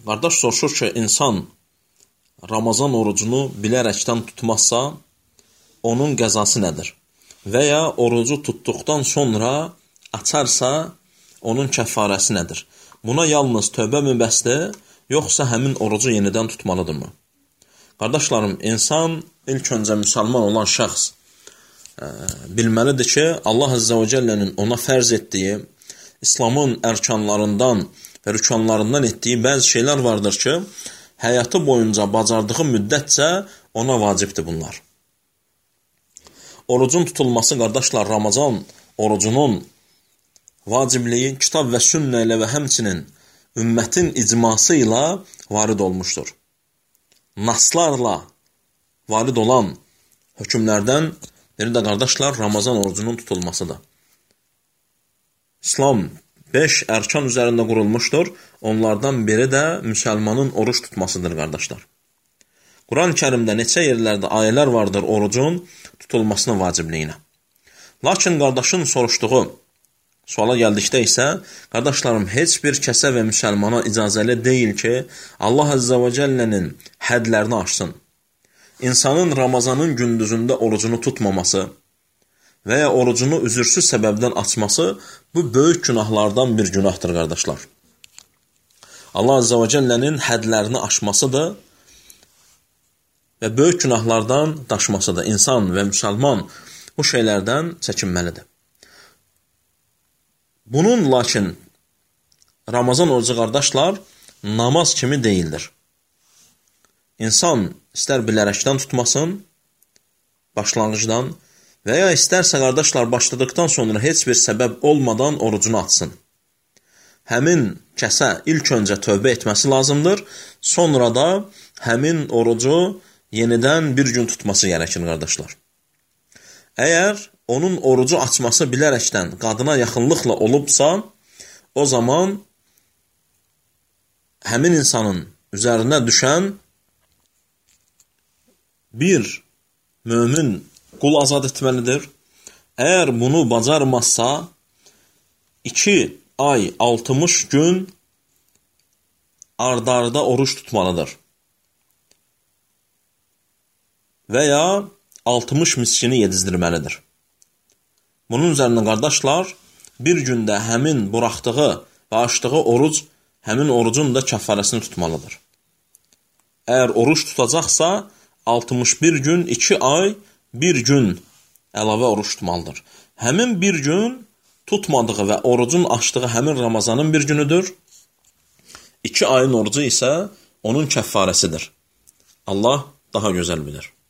Qardaş soruşur ki, insan Ramazan orucunu bilərəkdən tutmazsa, onun qəzası nədir? Və ya orucu tutduqdan sonra açarsa, onun kəffarəsi nədir? Buna yalnız tövbə mi bəsdir, yoxsa həmin orucu yenidən tutmalıdırmı? Qardaşlarım, insan ilk öncə müsəlman olan şəxs bilməlidir ki, Allah Əzzə və Cəllənin ona fərz etdiyi, İslamın ərkanlarından və rükanlarından etdiyi bəzi şeylər vardır ki, həyatı boyunca bacardığı müddətcə ona vacibdir bunlar. Orucun tutulması, qardaşlar, Ramazan orucunun vacibliyi kitab və sünnə ilə və həmçinin ümmətin icması ilə varid olmuşdur. Naslarla varid olan hökmlərdən biri də, qardaşlar, Ramazan orucunun tutulmasıdır. İslam 5 ərkan üzərində qurulmuşdur. Onlardan biri də müsəlmanın oruç tutmasıdır, qardaşlar. Quran-ı Kərimdə neçə yerlərdə ayələr vardır orucun tutulmasına vacibliyinə. Lakin qardaşın soruşduğu suala gəldikdə isə, qardaşlarım, heç bir kəsə və müsəlmana icazəli deyil ki, Allah Əzzə və Cəllənin hədlərini aşsın. İnsanın Ramazanın gündüzündə orucunu tutmaması və ya orucunu üzürsüz səbəbdən açması, bu böyük günahlardan bir günahdır, qardaşlar. Allah Əzzə və Cəllənin hədlərini aşmasıdır və böyük günahlardan daşmasıdır. İnsan və müsəlman bu şeylərdən çəkinməlidir. Bunun lakin Ramazan orucu, qardaşlar, namaz kimi deyildir. İnsan istər bilərəkdən tutmasın, başlanğıcdan və ya istərsə, qardaşlar, başladıqdan sonra heç bir səbəb olmadan orucunu açsın. Həmin kəsə ilk öncə tövbə etməsi lazımdır, sonra da həmin orucu yenidən bir gün tutması gərəkir, qardaşlar. Əgər onun orucu açması bilərəkdən qadına yaxınlıqla olubsa, o zaman həmin insanın üzərinə düşən bir mömin qul azad etməlidir. Əgər bunu bacarmazsa, 2 ay 60 gün ard-arda oruç tutmalıdır. Və ya 60 miskini yedizdirməlidir. Bunun üzərinə, qardaşlar, bir gündə həmin buraxdığı və açdığı oruc, həmin orucun da kəffarəsini tutmalıdır. Əgər oruç tutacaqsa, 61 gün, 2 ay, 1 gün əlavə oruç tutmalıdır. Həmin bir gün tutmadığı və orucun açdığı həmin Ramazanın bir günüdür. 2 ayın orucu isə onun kəffarəsidir. Allah daha gözəl bilir.